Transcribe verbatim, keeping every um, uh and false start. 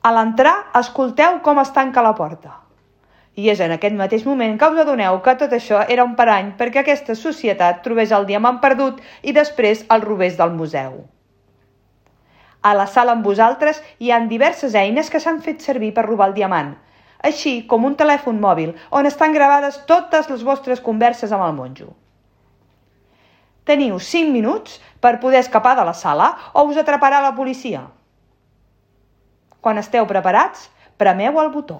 A l'entrar, escolteu com es tanca la porta. I és en aquest mateix moment que us adoneu que tot això era un parany perquè aquesta societat trobés el diamant perdut i després el robés del museu. A la sala amb vosaltres hi ha diverses eines que s'han fet servir per robar el diamant, així com un telèfon mòbil on estan gravades totes les vostres converses amb el monjo. Teniu cinc minuts per poder escapar de la sala o us atraparà la policia. Quan esteu preparats, premeu el botó.